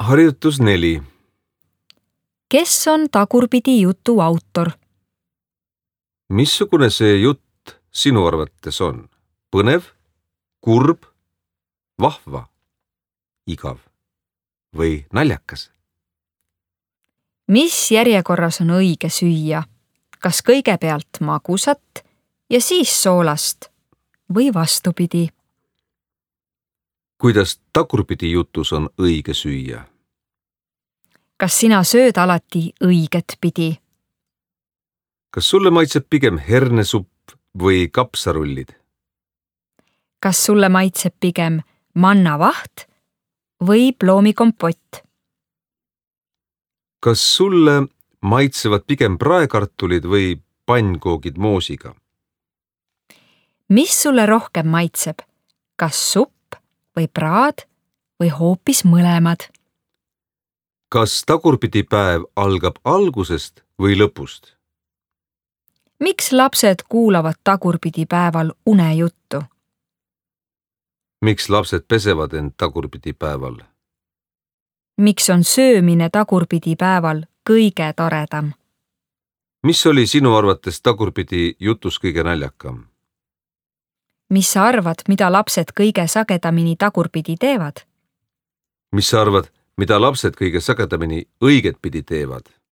Harjutus 4. Kes on tagurpidi jutu autor? Missugune see jutt sinu arvates on? Põnev, kurb, vahva, igav või naljakas? Mis järjekorras on õige süüa? Kas kõigepealt magusat ja siis soolast või vastupidi? Kuidas tagurpidi jutus on õige süüa? Kas sina sööd alati õiget pidi? Kas sulle maitseb pigem hernesupp või kapsarullid? Kas sulle maitseb pigem mannavaht või ploomikompott? Kas sulle maitsevad pigem praekartulid või pannkoogid moosiga? Mis sulle rohkem maitseb? Kas supp või praad või hoopis mõlemad? Kas tagurpidi päev algab algusest või lõpust? Miks lapsed kuulavad tagurpidi päeval unejuttu? Miks lapsed pesevad end tagurpidi päeval? Miks on söömine tagurpidi päeval kõige toredam? Mis oli sinu arvates tagurpidi jutus kõige naljakam? Mis sa arvad, mida lapsed kõige sagedamini tagurpidi teevad? Mis sa arvad, mida lapsed kõige sagedamini õigetpidi teevad?